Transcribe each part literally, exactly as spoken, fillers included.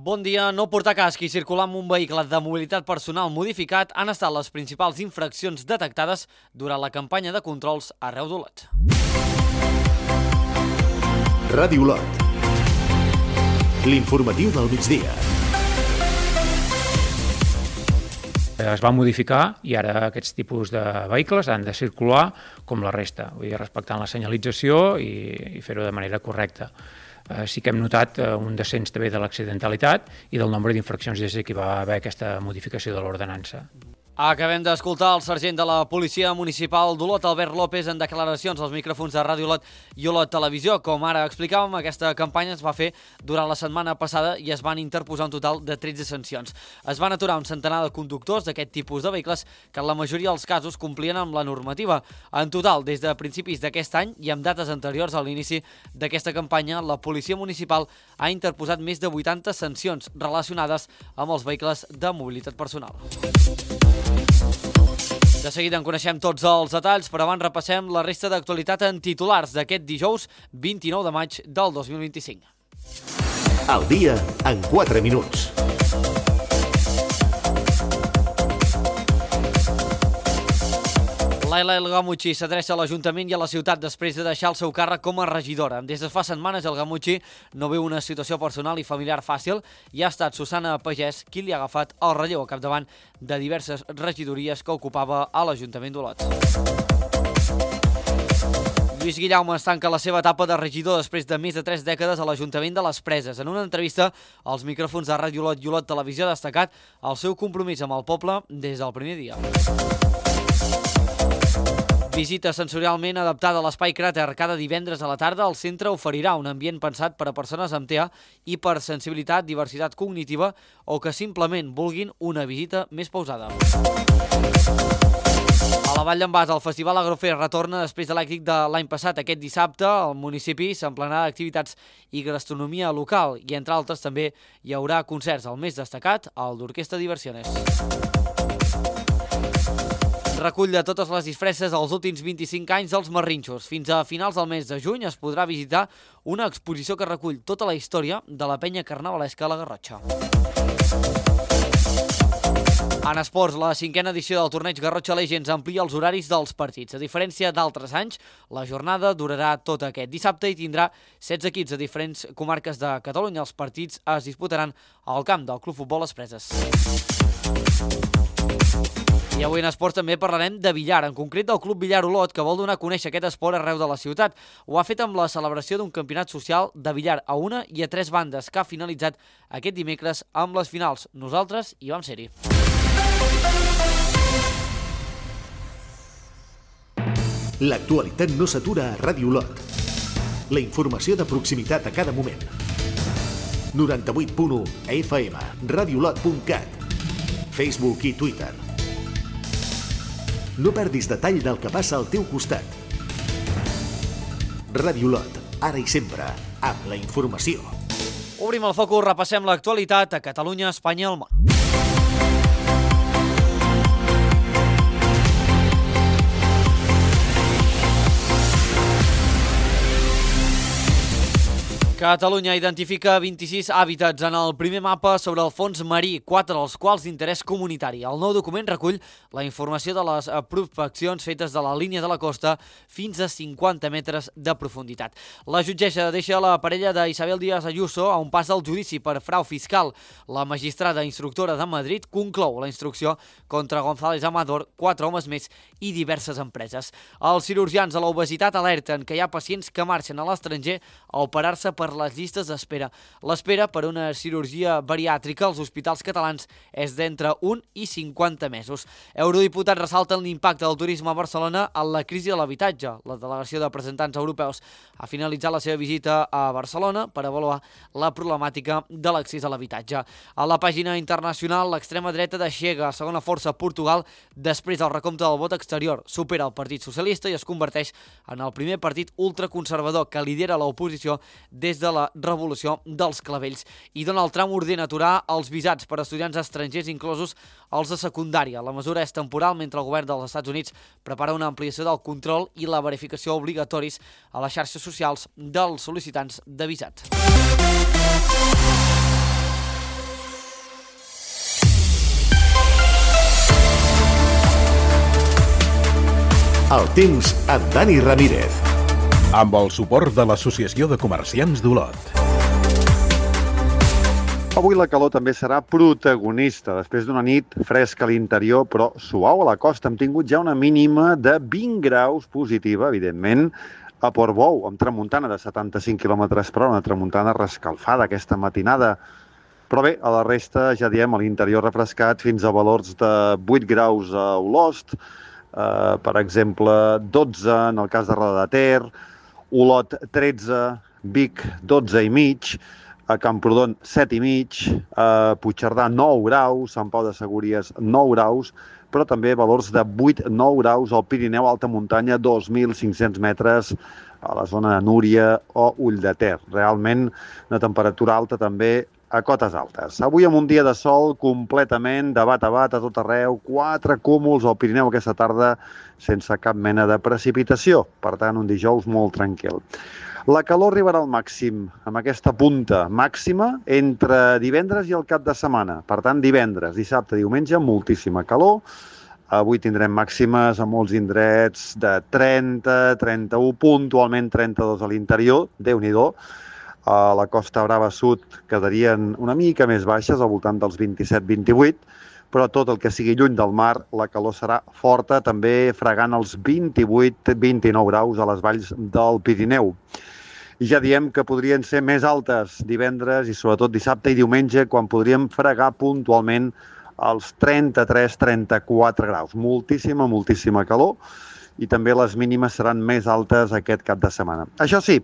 Bon dia. No portar casc i circular amb un vehicle de mobilitat personal modificat han estat les principals infraccions detectades durant la campanya de controls arreu d'Olot. Ràdio Olot. L'informatiu del migdia. Es va modificar i ara aquests tipus de vehicles han de circular com la resta, vull dir, respectant la senyalització i, i fer-ho de manera correcta. Eh, sí que hem notat eh, un descens també de l'accidentalitat i del nombre d'infraccions des que va haver aquesta modificació de l'ordenança. Acabem d'escoltar el sergent de la Policia Municipal d'Olot, Albert López, en declaracions als micròfons de Ràdio Olot i Olot Televisió. Com ara explicàvem, aquesta campanya es va fer durant la setmana passada i es van interposar un total de tretze sancions. Es van aturar un centenar de conductors d'aquest tipus de vehicles que en la majoria dels casos complien amb la normativa. En total, des de principis d'aquest any i amb dates anteriors a l'inici d'aquesta campanya, la Policia Municipal ha interposat més de vuitanta sancions relacionades amb els vehicles de mobilitat personal. De seguida en coneixem tots els detalls, però abans repassem la resta d'actualitat en titulars d'aquest dijous vint-i-nou de maig del dos mil vint-i-cinc. El dia en quatre minuts. Laila El Gamuchi s'adreça a l'Ajuntament i a la ciutat després de deixar el seu càrrec com a regidora. Des de fa setmanes El Gamuchi no veu una situació personal i familiar fàcil i ha estat Susana Pagès qui li ha agafat el relleu a capdavant de diverses regidories que ocupava a l'Ajuntament d'Olot. Lluís Guillaume es tanca la seva etapa de regidor després de més de tres dècades a l'Ajuntament de les Preses. En una entrevista als micròfons de Ràdio Olot i Olot Televisió ha destacat el seu compromís amb el poble des del primer dia. Visita sensorialment adaptada a l'Espai Cràter. Cada divendres a la tarda el centre oferirà un ambient pensat per a persones amb T E A i per sensibilitat, diversitat cognitiva o que simplement vulguin una visita més pausada. A la Vall d'en Bas, el Festival Agrofest retorna després de l'èxit de l'any passat. Aquest dissabte el municipi s'emplenarà d'activitats i gastronomia local i, entre altres, també hi haurà concerts. El més destacat, el d'Orquestra Diversiones. Recull de totes les disfresses dels últims vint-i-cinc anys dels Marrinxos. Fins a finals del mes de juny es podrà visitar una exposició que recull tota la història de la penya carnavalesca a la Garrotxa. En esports, la cinquena edició del torneig Garrotxa Legends amplia els horaris dels partits. A diferència d'altres anys, la jornada durarà tot aquest dissabte i tindrà setze equips de diferents comarques de Catalunya. Els partits es disputaran al camp del Club Futbol Les Preses. I avui en esports també parlarem de billar, en concret del Club Billar Olot, que vol donar a conèixer aquest esport arreu de la ciutat. Ho ha fet amb la celebració d'un campionat social de billar a una i a tres bandes, que ha finalitzat aquest dimecres amb les finals. Nosaltres hi vam ser-hi. L'actualitat no s'atura a Ràdio Olot. La informació de proximitat a cada moment. noranta-vuit punt u F M, radiolot punt cat, Facebook i Twitter. No perdis detall del que passa al teu costat. Ràdio Olot, ara i sempre, amb la informació. Obrim el focus, repassem l'actualitat a Catalunya, Espanya i el món. Catalunya identifica vint-i-sis hàbitats en el primer mapa sobre el fons marí, quatre dels quals d'interès comunitari. El nou document recull la informació de les prospeccions fetes de la línia de la costa fins a cinquanta metres de profunditat. La jutgessa deixa la parella d'Isabel Díaz Ayuso a un pas del judici per frau fiscal. La magistrada instructora de Madrid conclou la instrucció contra González Amador, quatre homes més i diverses empreses. Els cirurgians de l'obesitat alerten que hi ha pacients que marxen a l'estranger a operar-se per les llistes d'espera. L'espera per una cirurgia bariàtrica als hospitals catalans és d'entre un i cinquanta mesos. Eurodiputats ressalten l'impacte del turisme a Barcelona en la crisi de l'habitatge. La delegació de representants europeus ha finalitzat la seva visita a Barcelona per avaluar la problemàtica de l'accés a l'habitatge. A la pàgina internacional, l'extrema dreta deixega segona força a Portugal després del recompte del vot exterior. Supera el Partit Socialista i es converteix en el primer partit ultraconservador que lidera l'oposició des de la revolució dels clavells. I Donald Trump ordena aturar els visats per a estudiants estrangers, inclosos els de secundària. La mesura és temporal mentre el govern dels Estats Units prepara una ampliació del control i la verificació obligatoris a les xarxes socials socials dels sol·licitants de visat. El temps amb Dani Ramírez. Amb el suport de l'Associació de Comerciants d'Olot. Avui la calor també serà protagonista. Després d'una nit fresca a l'interior, però suau a la costa, hem tingut ja una mínima de vint graus positiva, evidentment, a Portbou, amb tramuntana de setanta-cinc quilòmetres per hora, una tramuntana rescalfada aquesta matinada. Però bé, a la resta, ja diem, a l'interior refrescat fins a valors de vuit graus a Olost, eh, per exemple, dotze en el cas de Roda de Ter, Olot tretze, Vic dotze i mig, a Camprodon set i mig, a Puigcerdà nou graus, Sant Pau de Segúries nou graus, però també valors de vuit a nou graus al Pirineu, alta muntanya, dos mil cinc-cents metres a la zona de Núria o Ulldeter. Realment una temperatura alta també a cotes altes. Avui amb un dia de sol completament de bat a bat a tot arreu, quatre cúmuls al Pirineu aquesta tarda sense cap mena de precipitació. Per tant, un dijous molt tranquil. La calor arribarà al màxim amb aquesta punta màxima entre divendres i el cap de setmana. Per tant, divendres, dissabte, diumenge, moltíssima calor. Avui tindrem màximes a molts indrets de trenta, trenta-u, puntualment trenta-dos a l'interior, Déu-n'hi-do. A la Costa Brava Sud quedarien una mica més baixes, al voltant dels vint-i-set vint-i-vuit, però tot el que sigui lluny del mar, la calor serà forta, també fregant els vint-i-vuit vint-i-nou graus a les valls del Pirineu. I ja diem que podrien ser més altes divendres i sobretot dissabte i diumenge, quan podríem fregar puntualment els trenta-tres trenta-quatre graus. Moltíssima, moltíssima calor, i també les mínimes seran més altes aquest cap de setmana. Això sí,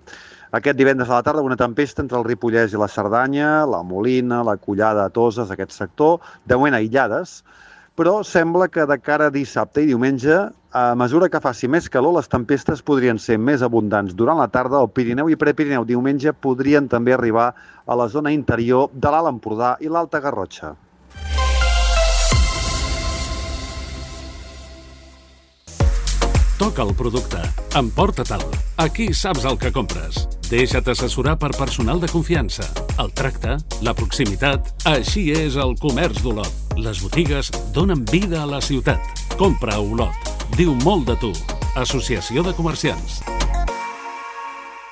aquest divendres a la tarda una tempesta entre el Ripollès i la Cerdanya, la Molina, la Collada a Toses, aquest sector, de moment aïllades, però sembla que de cara a dissabte i diumenge, a mesura que faci més calor, les tempestes podrien ser més abundants durant la tarda al Pirineu i Prepirineu. Diumenge podrien també arribar a la zona interior de l'Alt Empordà i l'Alta Garrotxa. Toca el producte. Emporta-te'l. Aquí saps el que compres. Deixa't assessorar per personal de confiança. El tracte, la proximitat... Així és el comerç d'Olot. Les botigues donen vida a la ciutat. Compra a Olot. Diu molt de tu. Associació de Comerciants.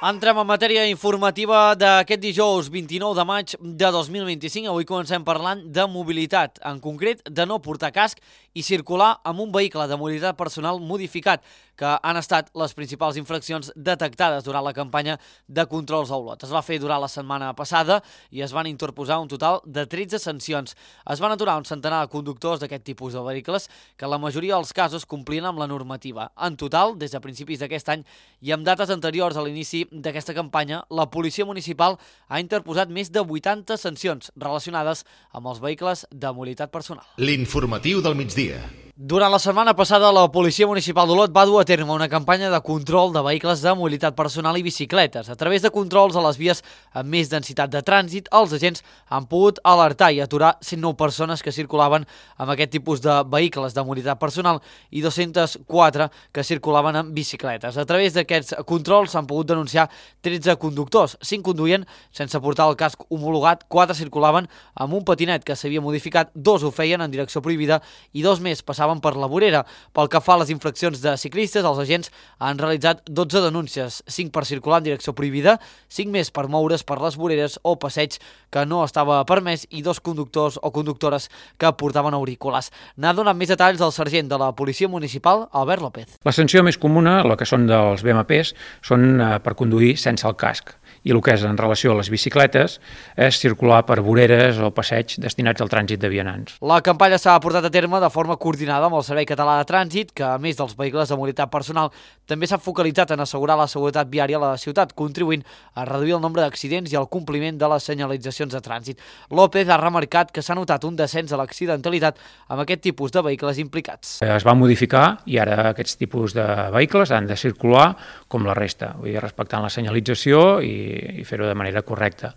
Entrem en matèria informativa d'aquest dijous vint-i-nou de maig de dos mil vint-i-cinc. Avui comencem parlant de mobilitat, en concret de no portar casc i circular amb un vehicle de mobilitat personal modificat, que han estat les principals infraccions detectades durant la campanya de controls a Olot. Es va fer durant la setmana passada i es van interposar un total de tretze sancions. Es van aturar un centenar de conductors d'aquest tipus de vehicles que la majoria dels casos complien amb la normativa. En total, des de principis d'aquest any i amb dates anteriors a l'inici d'aquesta campanya, la Policia Municipal ha interposat més de vuitanta sancions relacionades amb els vehicles de mobilitat personal. L'informatiu del migdia. Durant la setmana passada, la Policia Municipal d'Olot va dur a terme una campanya de control de vehicles de mobilitat personal i bicicletes. A través de controls a les vies amb més densitat de trànsit, els agents han pogut alertar i aturar cent nou persones que circulaven amb aquest tipus de vehicles de mobilitat personal i dos-cents quatre que circulaven amb bicicletes. A través d'aquests controls s'han pogut denunciar tretze conductors. cinc conduïen sense portar el casc homologat, quatre circulaven amb un patinet que s'havia modificat, dos ho feien en direcció prohibida i dos més passaven per la vorera. Pel que fa a les infraccions de ciclistes, els agents han realitzat dotze denúncies, cinc per circular en direcció prohibida, cinc més per moure's per les voreres o passeig que no estava permès i dos conductors o conductores que portaven auriculars. N'ha donat més detalls el sergent de la Policia Municipal, Albert López. La sanció més comuna, la que són dels B M Ps, són eh, per conduir sense el casc. I el que és en relació a les bicicletes és circular per voreres o passeig destinats al trànsit de vianants. La campanya s'ha portat a terme de forma coordinada amb el Servei Català de Trànsit, que a més dels vehicles de mobilitat personal també s'ha focalitzat en assegurar la seguretat viària a la ciutat, contribuint a reduir el nombre d'accidents i el compliment de les senyalitzacions de trànsit. López ha remarcat que s'ha notat un descens a l'accidentalitat amb aquest tipus de vehicles implicats. Es va modificar i ara aquests tipus de vehicles han de circular com la resta, vull dir, respectant la senyalització i i fer-ho de manera correcta.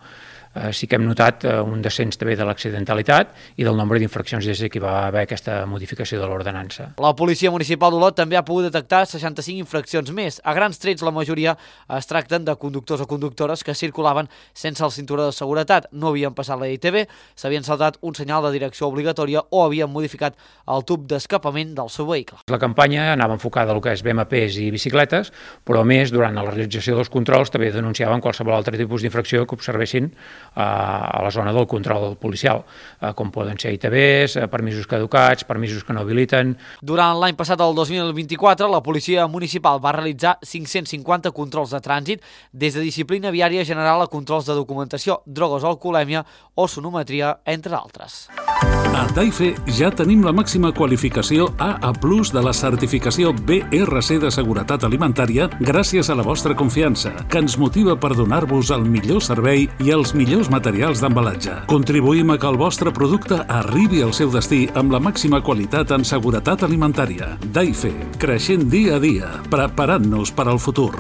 Eh, sí que hem notat eh, un descens també de l'accidentalitat i del nombre d'infraccions des que va haver aquesta modificació de l'ordenança. La Policia Municipal d'Olot també ha pogut detectar seixanta-cinc infraccions més. A grans trets, la majoria es tracten de conductors o conductores que circulaven sense el cinturó de seguretat, no havien passat la I T V, s'havien saltat un senyal de direcció obligatòria o havien modificat el tub d'escapament del seu vehicle. La campanya anava enfocada al que és B M Ps i bicicletes, però a més, durant la realització dels controls també denunciaven qualsevol altre tipus d'infracció que observessin a la zona del control policial, com poden ser I T Vs, permisos caducats, permisos que no habiliten. Durant l'any passat, el dos mil vint-i-quatre, la Policia Municipal va realitzar cinc-cents cinquanta controls de trànsit, des de disciplina viària general a controls de documentació, drogues o alcoholèmia o sonometria, entre altres. A Daife ja tenim la màxima qualificació A A plus de la certificació B R C de seguretat alimentària gràcies a la vostra confiança, que ens motiva per donar-vos el millor servei i els millors materials d'embalatge. Contribuïm a que el vostre producte arribi al seu destí amb la màxima qualitat en seguretat alimentària. Daife, creixent dia a dia, preparant-nos per al futur.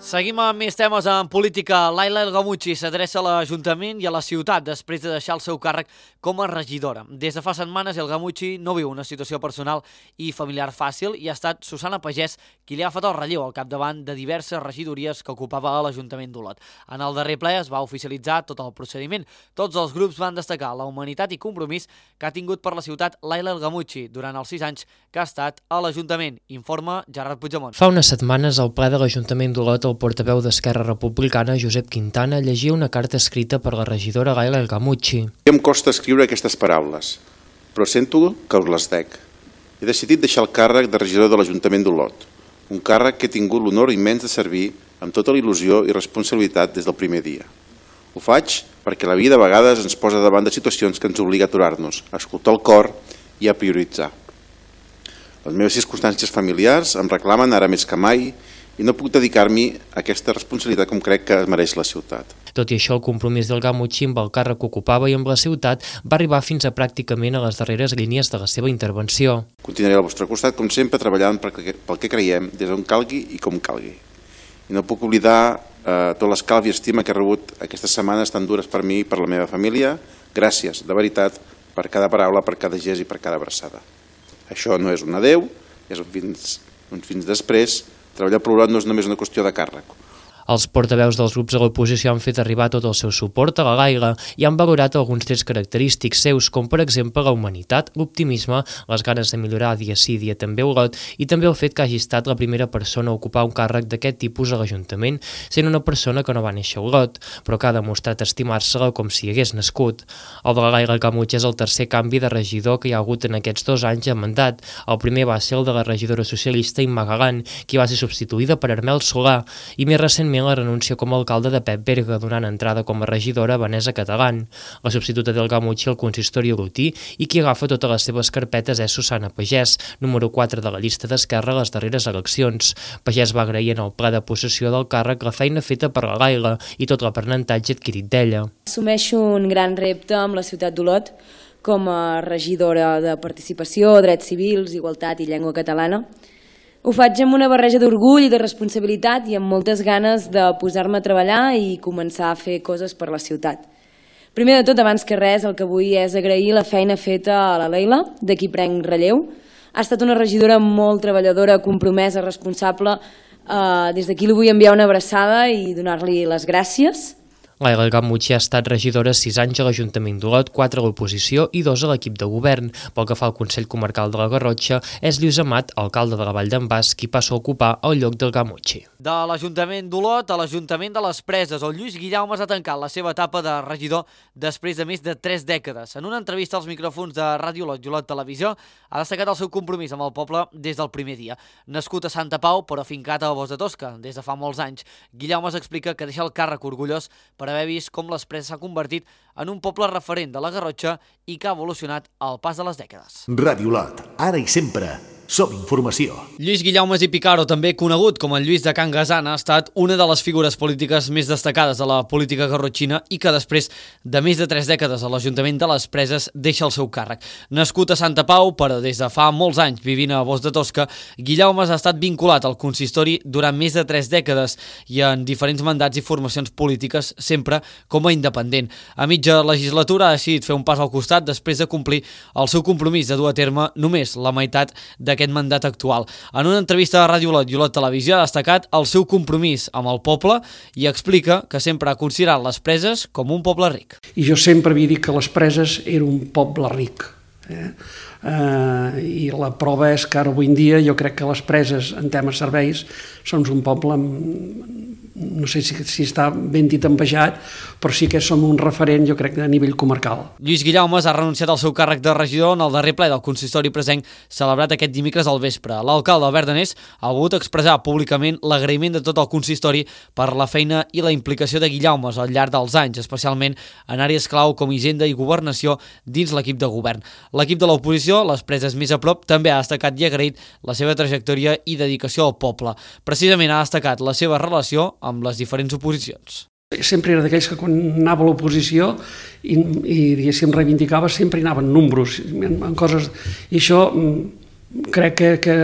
Seguim amb més temes en política. Laila El Gamuchi s'adreça a l'Ajuntament i a la ciutat després de deixar el seu càrrec com a regidora. Des de fa setmanes, El Gamuchi no viu una situació personal i familiar fàcil i ha estat Susana Pagès qui li ha fet el relleu al capdavant de diverses regidories que ocupava a l'Ajuntament d'Olot. En el darrer ple es va oficialitzar tot el procediment. Tots els grups van destacar la humanitat i compromís que ha tingut per la ciutat Laila El Gamuchi durant els sis anys que ha estat a l'Ajuntament. Informa Gerard Puigdemont. Fa unes setmanes, al ple de l'Ajuntament d'Olot, el portaveu d'Esquerra Republicana, Josep Quintana, llegia una carta escrita per la regidora Laila El Gamuchi. Em costa escriure aquestes paraules, però sento que us les dec. He decidit deixar el càrrec de regidor de l'Ajuntament d'Olot, un càrrec que he tingut l'honor immens de servir amb tota la il·lusió i responsabilitat des del primer dia. Ho faig perquè la vida a vegades ens posa davant de situacions que ens obliga a aturar-nos, a escoltar el cor i a prioritzar. Les meves circumstàncies familiars em reclamen ara més que mai i no puc dedicar-m'hi a aquesta responsabilitat com crec que mereix la ciutat. Tot i això, el compromís del Gamuchi amb el càrrec que ocupava i amb la ciutat va arribar fins a pràcticament a les darreres línies de la seva intervenció. Continuaré al vostre costat, com sempre, treballant pel que creiem, des d'on calgui i com calgui. I no puc oblidar eh, tot l'escalf i estima que he rebut aquestes setmanes tan dures per mi i per la meva família. Gràcies, de veritat, per cada paraula, per cada gest i per cada abraçada. Això no és un adeu, és un fins, un fins després. Treballar per l'Olot no és només una qüestió de càrrec. Els portaveus dels grups de l'oposició han fet arribar tot el seu suport a la Laila i han valorat alguns trets característics seus, com per exemple la humanitat, l'optimisme, les ganes de millorar dia sí dia també Olot i també el fet que hagi estat la primera persona a ocupar un càrrec d'aquest tipus a l'Ajuntament, sent una persona que no va néixer a Olot, però que ha demostrat estimar-se-la com si hagués nascut. El de la Laila Gamuchi és el tercer canvi de regidor que hi ha hagut en aquests dos anys de mandat. El primer va ser el de la regidora socialista Imma Galán, qui va ser substituïda per Armel Solà, i més recentment la renúncia com a alcalde de Pep Berga, donant entrada com a regidora a Vanessa Catalán. La substituta del Gamuchi al consistori olotí i qui agafa totes les seves carpetes és Susana Pagès, número quatre de la llista d'Esquerra a les darreres eleccions. Pagès va agrair en el ple de possessió del càrrec la feina feta per la Laila i tot l'aprenentatge adquirit d'ella. Assumeixo un gran repte amb la ciutat d'Olot com a regidora de participació, drets civils, igualtat i llengua catalana. Ho faig amb una barreja d'orgull i de responsabilitat i amb moltes ganes de posar-me a treballar i començar a fer coses per la ciutat. Primer de tot, abans que res, el que vull és agrair la feina feta a la Leila, de qui prenc relleu. Ha estat una regidora molt treballadora, compromesa, responsable. Uh, des d'aquí li vull enviar una abraçada i donar-li les gràcies. Laila El Gamuchi ha estat regidora sis anys a l'Ajuntament d'Olot, quatre a l'oposició i dos a l'equip de govern. Pel que fa al Consell Comarcal de la Garrotxa, és Lluís Amat, alcalde de la Vall d'en Bas, qui passa a ocupar el lloc del Gamuchi. De l'Ajuntament d'Olot a l'Ajuntament de les Preses, el Lluís Guillaumes ha tancat la seva etapa de regidor després de més de tres dècades. En una entrevista als micròfons de Ràdio Olot i Olot Televisió, ha destacat el seu compromís amb el poble des del primer dia. Nascut a Santa Pau, però fincat a Bos de Tosca des de fa molts anys, Guillaumes explica que deixa el càrrec orgullós per haver vist com les Preses s'ha convertit en un poble referent de la Garrotxa i que ha evolucionat al pas de les dècades. Ràdio Olot, ara i sempre, Som informació. Lluís Guillaumes i Picaro, també conegut com el Lluís de Can Gasana, ha estat una de les figures polítiques més destacades de la política garrotxina i que després de més de tres dècades a l'Ajuntament de les Preses deixa el seu càrrec. Nascut a Santa Pau, però des de fa molts anys vivint a Bos de Tosca, Guillaumes ha estat vinculat al consistori durant més de tres dècades i en diferents mandats i formacions polítiques, sempre com a independent. A mitja legislatura ha decidit fer un pas al costat després de complir el seu compromís de dur a terme només la meitat d'aquest aquest mandat actual. En una entrevista a Ràdio Olot i Olot Televisió ha destacat el seu compromís amb el poble i explica que sempre ha considerat les Preses com un poble ric. I jo sempre havia dit que les Preses era un poble ric. Eh? Uh, I la prova és que ara avui en dia jo crec que les Preses en temes serveis són un poble, no sé si, si està ben dit envejat, però sí que som un referent, jo crec, a nivell comarcal. Lluís Guillaumes ha renunciat al seu càrrec de regidor en el darrer ple del consistori presenc celebrat aquest dimecres al vespre. L'alcalde Albert Danés ha volgut expressar públicament l'agraïment de tot el consistori per la feina i la implicació de Guillaumes al llarg dels anys, especialment en àrees clau com Hisenda i Governació dins l'equip de govern. L'equip de l'oposició, les Preses més a prop, també ha destacat i agraït la seva trajectòria i dedicació al poble. Precisament ha destacat la seva relació amb les diferents oposicions. Sempre era d'aquells que quan anava a l'oposició i, i diguéssim reivindicava sempre hi anaven números en, en coses, i això crec que, que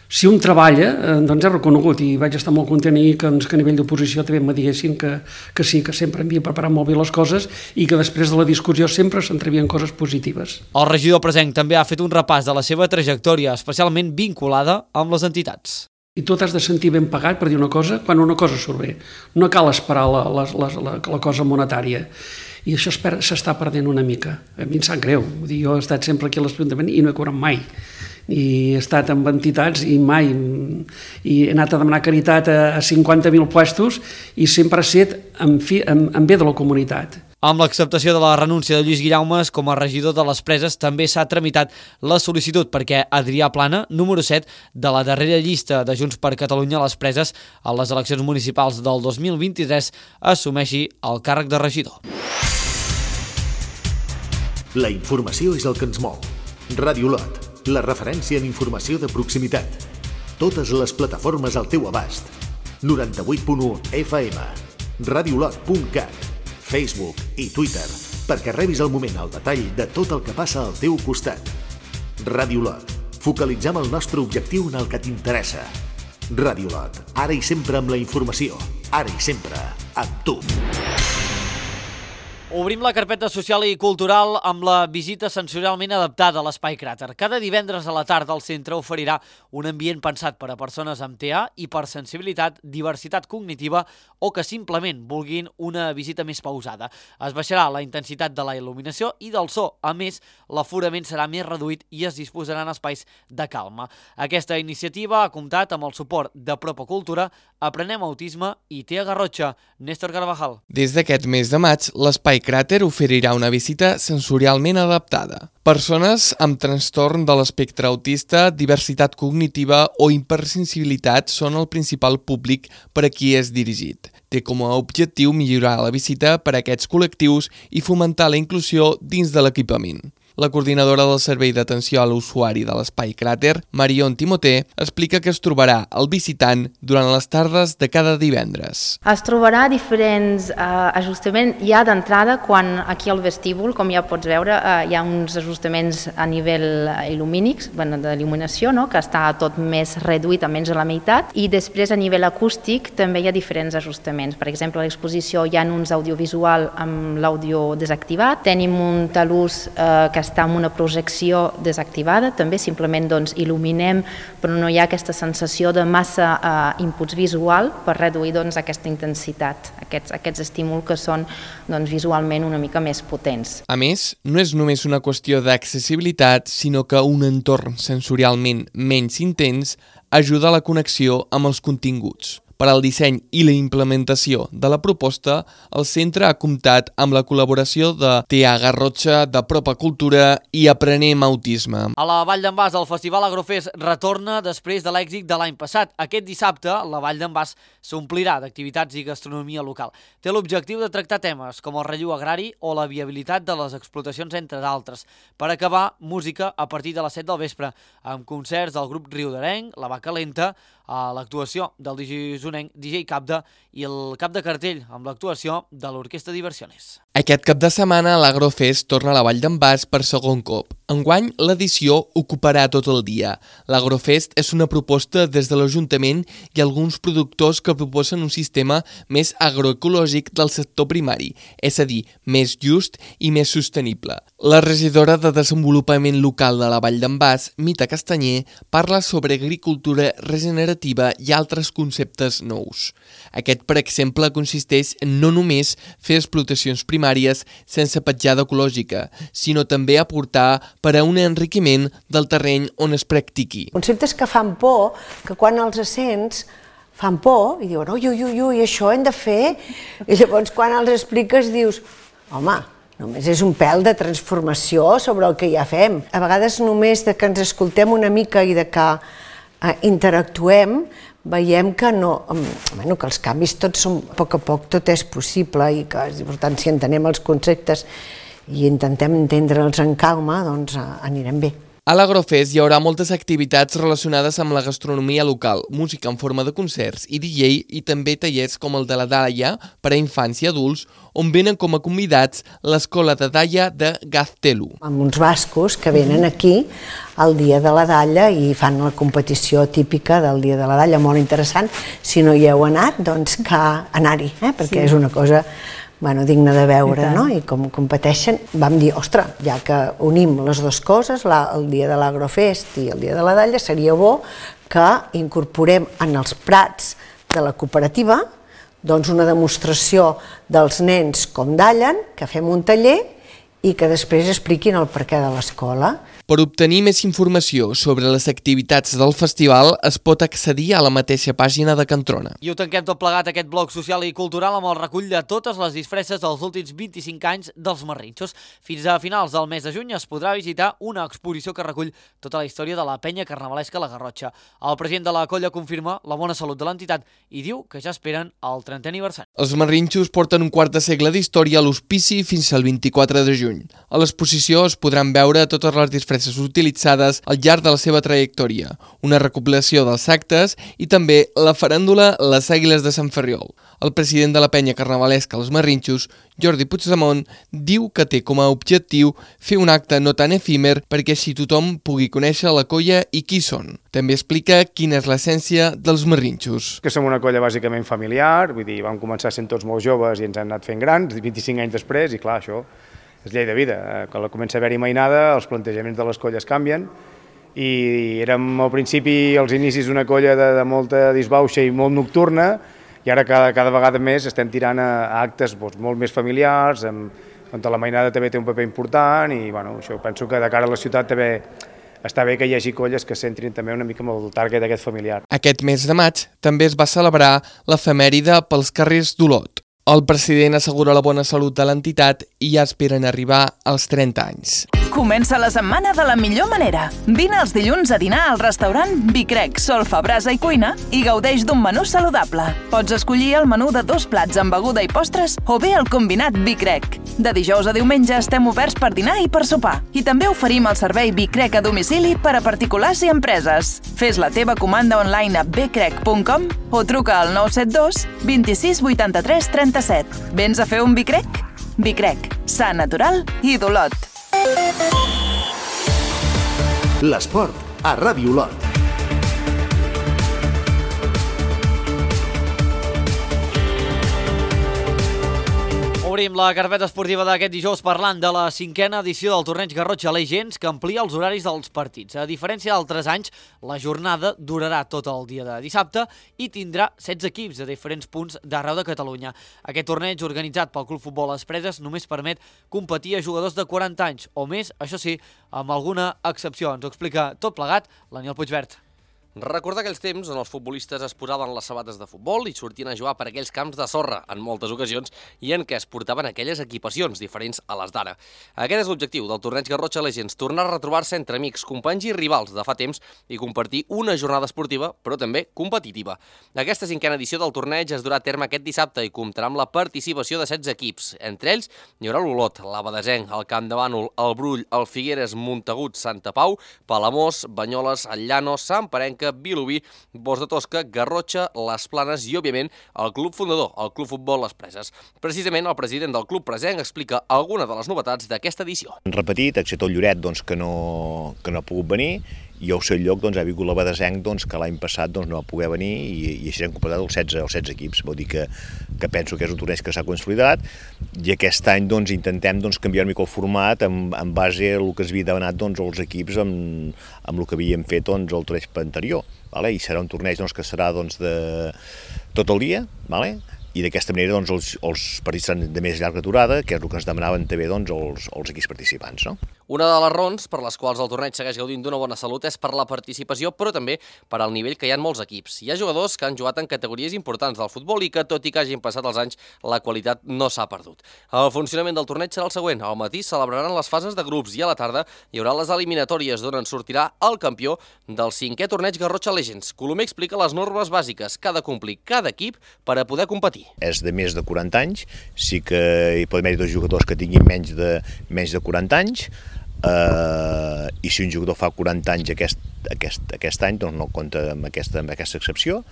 si un treballa doncs és reconegut, i vaig estar molt content i que, que a nivell d'oposició també me diguessin que, que sí, que sempre havia preparat molt bé les coses i que després de la discussió sempre s'entrevien coses positives. El regidor presenc també ha fet un repàs de la seva trajectòria, especialment vinculada amb les entitats. I tu t'has de sentir ben pagat per dir una cosa quan una cosa surt bé. No cal esperar la, la, la, la, la cosa monetària. I això s'està perdent una mica. A mi em sap greu. Vull dir, jo he estat sempre aquí a l'Ajuntament i no he cobrat mai. I he estat amb entitats i mai. I he anat a demanar caritat a, a cinquanta mil puestos i sempre ha set en, fi, en, en bé de la comunitat. Amb l'acceptació de la renúncia de Lluís Guillaumes com a regidor de les Preses, també s'ha tramitat la sol·licitud perquè Adrià Plana, número set de la darrera llista de Junts per Catalunya a les Preses a les eleccions municipals del dos mil vint-i-tres, assumeixi el càrrec de regidor. La informació és el que ens mou. Ràdio Olot, la referència en informació de proximitat. Totes les plataformes al teu abast. noranta-vuit punt u F M, radiolot punt cat, Facebook i Twitter, perquè rebis al moment el detall de tot el que passa al teu costat. Ràdio Olot, focalitzem el nostre objectiu en el que t'interessa. Ràdio Olot, ara i sempre amb la informació, ara i sempre amb tu. Obrim la carpeta social i cultural amb la visita sensorialment adaptada a l'Espai Cràter. Cada divendres a la tarda el centre oferirà un ambient pensat per a persones amb T A, hipersensibilitat, diversitat cognitiva o que simplement vulguin una visita més pausada. Es baixarà la intensitat de la il·luminació i del so. A més, l'aforament serà més reduït i es disposaran espais de calma. Aquesta iniciativa ha comptat amb el suport de Propa Cultura, Aprenem Autisme i T A Garrotxa. Néstor Carvajal. Des d'aquest mes de maig, l'Espai Cràter oferirà una visita sensorialment adaptada. Persones amb trastorn de l'espectre autista, diversitat cognitiva o hipersensibilitat són el principal públic per a qui és dirigit. Té com a objectiu millorar la visita per a aquests col·lectius i fomentar la inclusió dins de l'equipament. La coordinadora del Servei d'Atenció a l'Usuari de l'Espai Cràter, Marion Timoter, explica que es trobarà el visitant durant les tardes de cada divendres. Es trobarà diferents eh, ajustaments ja d'entrada, quan aquí al vestíbul, com ja pots veure, eh, hi ha uns ajustaments a nivell il·lumínics, bueno, d'il·luminació, no? Que està tot més reduït a menys de la meitat, i després a nivell acústic també hi ha diferents ajustaments. Per exemple, a l'exposició hi ha uns audiovisual amb l'àudio desactivat, tenim un talús eh, que està amb una projecció desactivada, també simplement doncs, il·luminem, però no hi ha aquesta sensació de massa eh, inputs visual per reduir doncs, aquesta intensitat, aquests, aquests estímuls que són doncs, visualment una mica més potents. A més, no és només una qüestió d'accessibilitat, sinó que un entorn sensorialment menys intens ajuda a la connexió amb els continguts. Per al disseny i la implementació de la proposta, el centre ha comptat amb la col·laboració de T A Garrotxa, de Propa Cultura i Aprenem Autisme. A la Vall d'en Bas, el Festival Agrofest retorna després de l'èxit de l'any passat. Aquest dissabte, la Vall d'en Bas s'omplirà d'activitats i gastronomia local. Té l'objectiu de tractar temes com el relleu agrari o la viabilitat de les explotacions, entre d'altres. Per acabar, música a partir de les set del vespre, amb concerts del grup Riudarenc, La Vaca Lenta, a l'actuació del D J zonenc D J Capda i el cap de cartell amb l'actuació de l'Orquestra Diversiones. Aquest cap de setmana l'Agrofest torna a la Vall d'en Bas per segon cop. Enguany, l'edició ocuparà tot el dia. L'Agrofest és una proposta des de l'Ajuntament i alguns productors que proposen un sistema més agroecològic del sector primari, és a dir, més just i més sostenible. La regidora de Desenvolupament Local de la Vall d'en Bas, Mita Castanyer, parla sobre agricultura regenerativa i altres conceptes nous. Aquest, per exemple, consisteix en no només fer explotacions primàries sense petjada ecològica, sinó també aportar per a un enriquiment del terreny on es practiqui. Conceptes que fan por, que quan els sents fan por i diuen ui, ui, ui, ui, això hem de fer, i llavors quan els expliques dius, home, només és un pèl de transformació sobre el que ja fem. A vegades només de que ens escoltem una mica i de que eh, interactuem, veiem que no, bueno, que els canvis tots són, a poc a poc tot és possible i que, per tant, si entenem els conceptes i intentem entendre'ls en calma, doncs anirem bé. A l'Agrofest hi haurà moltes activitats relacionades amb la gastronomia local, música en forma de concerts i D J i també tallers com el de la Dalla per a infants i adults, on venen com a convidats l'Escola de Dalla de Gaztelu. Amb uns bascos que venen aquí el dia de la Dalla i fan la competició típica del dia de la Dalla, molt interessant. Si no hi heu anat, doncs que anar-hi, eh? perquè és una cosa bueno, digna de veure, no? I com competeixen, vam dir, ostres, ja que unim les dues coses, la, el dia de l'Agrofest i el dia de la Dalla, seria bo que incorporem en els prats de la cooperativa doncs una demostració dels nens com dallen, que fem un taller i que després expliquin el perquè de l'escola. Per obtenir més informació sobre les activitats del festival es pot accedir a la mateixa pàgina de Cantrona. I ho tanquem tot plegat, aquest bloc social i cultural, amb el recull de totes les disfresses dels últims vint-i-cinc anys dels Marrinxos. Fins a finals del mes de juny es podrà visitar una exposició que recull tota la història de la penya carnavalesca La Garrotxa. El president de la colla confirma la bona salut de l'entitat i diu que ja esperen el trentè aniversari. Els Marrinxos porten un quart de segle d'història a l'hospici fins al vint-i-quatre de juny. A l'exposició es podran veure totes les disfresses utilitzades al llarg de la seva trajectòria, una recopilació dels actes i també la faràndula Les Àguiles de Sant Ferriol. El president de la penya carnavalesca Els Marrinxos, Jordi Puigdemont, diu que té com a objectiu fer un acte no tan efímer perquè així tothom pugui conèixer la colla i qui són. També explica quina és l'essència dels Marrinxos. Que som una colla bàsicament familiar, vull dir, vam començar sent tots molt joves i ens hem anat fent grans, vint-i-cinc anys després, i clar, això és llei de vida. Quan comença a haver-hi mainada, els plantejaments de les colles canvien i érem al principi, als inicis, una colla de, de molta disbauxa i molt nocturna i ara cada, cada vegada més estem tirant a, a actes doncs, molt més familiars, amb, on la mainada també té un paper important i bueno, això penso que de cara a la ciutat també està bé que hi hagi colles que s'entrin també una mica amb el target aquest familiar. Aquest mes de maig també es va celebrar l'efemèride pels carrers d'Olot. El president assegura la bona salut de l'entitat i ja esperen arribar als trenta anys. Comença la setmana de la millor manera. Vine els dilluns a dinar al restaurant Bicrec, Solfa, Brasa i Cuina i gaudeix d'un menú saludable. Pots escollir el menú de dos plats amb beguda i postres o bé el combinat Bicrec. De dijous a diumenge estem oberts per dinar i per sopar. I també oferim el servei Bicrec a domicili per a particulars i empreses. Fes la teva comanda online a bcrec punt com o truca al nou set dos vint-i-sis vuitanta-tres trenta-set. Vens a fer un Bicrec? Bicrec, sa, natural i d'Olot. L'esport a Ràdio Olot. Obrim la carpeta esportiva d'aquest dijous parlant de la cinquena edició del torneig Garrotxa Legends, que amplia els horaris dels partits. A diferència d'altres anys, la jornada durarà tot el dia de dissabte i tindrà setze equips de diferents punts d'arreu de Catalunya. Aquest torneig, organitzat pel Club Futbol Les Preses, només permet competir a jugadors de quaranta anys o més, això sí, amb alguna excepció. Ens ho explica tot plegat l'Aniol Puigvert. Recorda aquells temps on els futbolistes es posaven les sabates de futbol i sortien a jugar per aquells camps de sorra, en moltes ocasions, i en què es portaven aquelles equipacions diferents a les d'ara. Aquest és l'objectiu del torneig Garrotxa Legends, tornar a retrobar-se entre amics, companys i rivals de fa temps i compartir una jornada esportiva, però també competitiva. Aquesta cinquena edició del torneig es durà a terme aquest dissabte i comptarà amb la participació de setze equips. Entre ells hi haurà l'Olot, l'Abadesenc, el Camp de Bànol, el Brull, el Figueres, Montagut, Santa Pau, Palamós, Banyoles, el Llano, Sant Parenca, Vilobí, Bos de Tosca, Garrotxa, Les Planes i, òbviament, el club fundador, el Club Futbol Les Preses. Precisament, el president del club presenc explica alguna de les novetats d'aquesta edició. Han repetit, excepte el Lloret, doncs, que, no, que no ha pogut venir, i al seu lloc doncs, ha vingut l'Abadesenc, doncs, que l'any passat doncs, no va poder venir, i, i així hem completat els setze, els setze equips. Vol dir que, que penso que és un torneig que s'ha consolidat, i aquest any doncs, intentem doncs, canviar una mica el format en, en base al que es havia demanat doncs, els equips amb, amb el que havíem fet doncs, el torneig anterior. Vale? I serà un torneig doncs, que serà doncs, de tot el dia, vale? I d'aquesta manera doncs, els, els partits seran de més llarga durada, que és el que ens demanaven també doncs, els, els equips participants. No? Una de les raons per les quals el torneig segueix gaudint d'una bona salut és per la participació, però també per al nivell que hi ha en molts equips. Hi ha jugadors que han jugat en categories importants del futbol i que, tot i que hagin passat els anys, la qualitat no s'ha perdut. El funcionament del torneig serà el següent. Al matí celebraran les fases de grups i a la tarda hi haurà les eliminatòries d'on en sortirà el campió del cinquè torneig Garrotxa Legends. Colomer explica les normes bàsiques que ha de complir cada equip per a poder competir. És de més de quaranta anys, sí que hi pot haver dos jugadors que tinguin menys de, menys de quaranta anys, eh, i si un jugador fa quaranta anys aquest, aquest, aquest any, doncs no compta amb aquesta, amb aquesta excepció.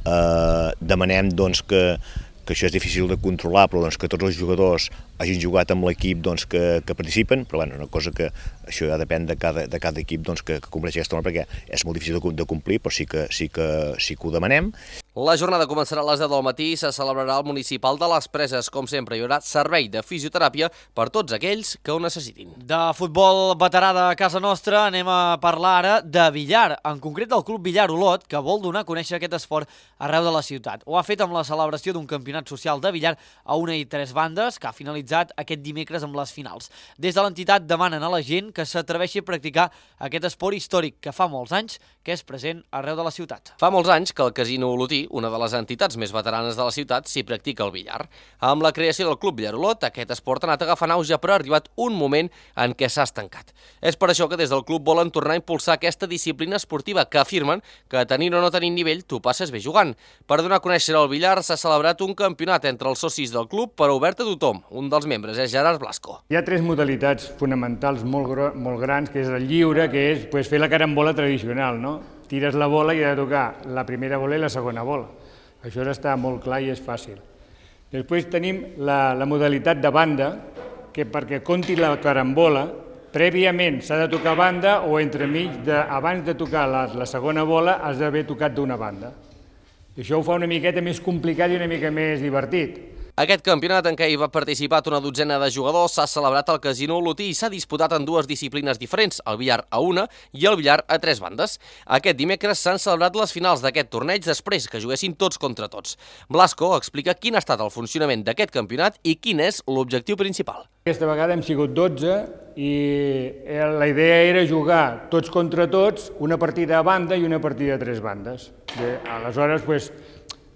Eh, demanem doncs, que, que això és difícil de controlar, però doncs, que tots els jugadors hagin jugat amb l'equip doncs, que, que participen, però bueno, una cosa que això ja depèn de cada, de cada equip doncs, que, que compleix aquesta norma, perquè és molt difícil de, de complir, però sí que, sí, que, sí que ho demanem. La jornada començarà a les deu del matí i se celebrarà al municipal de Les Preses. Com sempre, hi haurà servei de fisioteràpia per tots aquells que ho necessitin. De futbol veterà de casa nostra anem a parlar ara de billar, en concret del Club Billar Olot, que vol donar a conèixer aquest esport arreu de la ciutat. Ho ha fet amb la celebració d'un campionat social de billar a una i tres bandes, que ha finalitzat aquest dimecres amb les finals. Des de l'entitat demanen a la gent que s'atreveixi a practicar aquest esport històric que fa molts anys que és present arreu de la ciutat. Fa molts anys que el Casino Olotí, una de les entitats més veteranes de la ciutat, s'hi practica el billar. Amb la creació del Club Billar Olot, aquest esport ha anat agafant auge, però ha arribat un moment en què s'ha estancat. És per això que des del club volen tornar a impulsar aquesta disciplina esportiva que afirmen que tenint o no tenint nivell t'ho passes bé jugant. Per donar a conèixer el billar s'ha celebrat un campionat entre els socis del club, però obert a tothom. Un dels membres és Gerard Blasco. Hi ha tres modalitats fonamentals molt, molt grans, que és el lliure, que és pues, fer la carambola tradicional, no? Tires la bola i ha de tocar la primera bola i la segona bola. Això està molt clar i és fàcil. Després tenim la, la modalitat de banda, que perquè compti la carambola, prèviament s'ha de tocar banda o entremig, de, abans de tocar la, la segona bola, has d'haver tocat d'una banda. I això ho fa una miqueta més complicat i una mica més divertit. Aquest campionat, en què hi va participar una dotzena de jugadors, s'ha celebrat al Casino Olotí i s'ha disputat en dues disciplines diferents, el billar a una i el billar a tres bandes. Aquest dimecres s'han celebrat les finals d'aquest torneig després que juguessin tots contra tots. Blasco explica quin ha estat el funcionament d'aquest campionat i quin és l'objectiu principal. Aquesta vegada hem sigut dotze i la idea era jugar tots contra tots, una partida a banda i una partida a tres bandes. Bé, aleshores, doncs,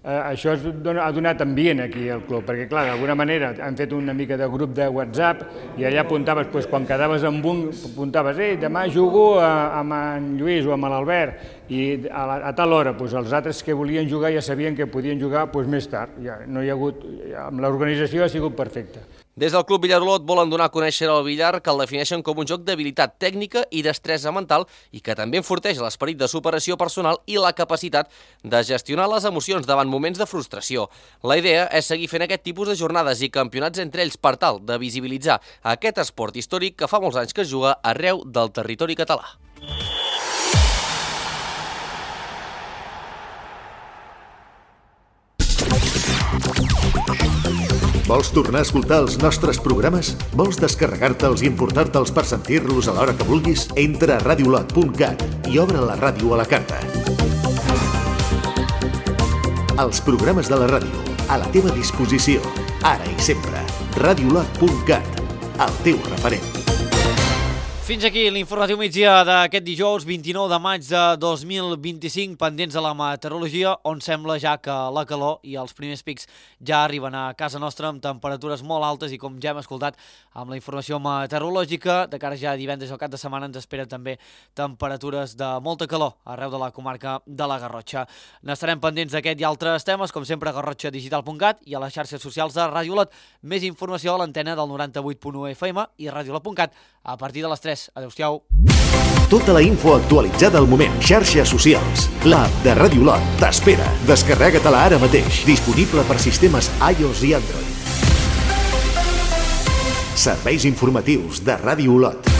Eh, això es dona, ha donat ambient aquí al club, perquè clar, d'alguna manera han fet una mica de grup de WhatsApp i allà apuntaves, doncs, quan quedaves amb un, apuntaves, ei, demà jugo a, amb en Lluís o amb l'Albert, i a, la, a tal hora, doncs, els altres que volien jugar ja sabien que podien jugar doncs, més tard. Ja, no hi ha hagut, ja, amb l'organització ha sigut perfecta. Des del Club Billar Olot volen donar a conèixer el billar, que el defineixen com un joc d'habilitat tècnica i destresa mental i que també enforteix l'esperit de superació personal i la capacitat de gestionar les emocions davant moments de frustració. La idea és seguir fent aquest tipus de jornades i campionats entre ells per tal de visibilitzar aquest esport històric que fa molts anys que es juga arreu del territori català. Vols tornar a escoltar els nostres programes? Vols descarregar-te'ls i importar-te'ls per sentir-los a l'hora que vulguis? Entra a radiolot punt cat i obre la ràdio a la carta. Els programes de la ràdio, a la teva disposició, ara i sempre. radiolot punt cat, el teu referent. Fins aquí l'informatiu migdia d'aquest dijous vint-i-nou de maig de dos mil vint-i-cinc, pendents de la meteorologia, on sembla ja que la calor i els primers pics ja arriben a casa nostra amb temperatures molt altes i, com ja hem escoltat amb la informació meteorològica, de cara ja a divendres al cap de setmana ens esperen també temperatures de molta calor arreu de la comarca de la Garrotxa. N'estarem pendents d'aquest i altres temes, com sempre a garrotxa digital punt cat i a les xarxes socials de Ràdio Olot. Més informació a l'antena del noranta vuit punt u F M i radiolot punt cat a partir de les tres. Adéu-siau. Tota la info actualitzada al moment. Xarxes socials. L'app de Ràdio Olot t'espera. Descarrega-te-la ara mateix. Disponible per sistemes iOS i Android. Serveis informatius de Ràdio Olot.